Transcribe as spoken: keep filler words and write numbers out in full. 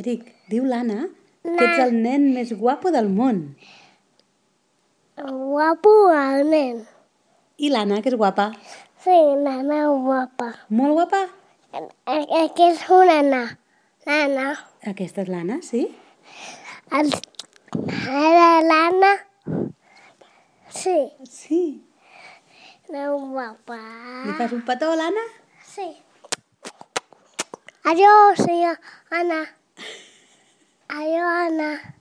Eric, diu l'Anna que ets el nen més guapo del món. Guapo el nen. I l'Anna, que és guapa? Sí, l'Anna guapa. Molt guapa? Aquesta és una Anna. L'Anna. Aquesta és l'Anna, sí? El... Ara l'Anna. Sí. Sí. La guapa. Li fas un petó a l'Anna? Sí. Adiós, senyora Anna. Adiós, Anna.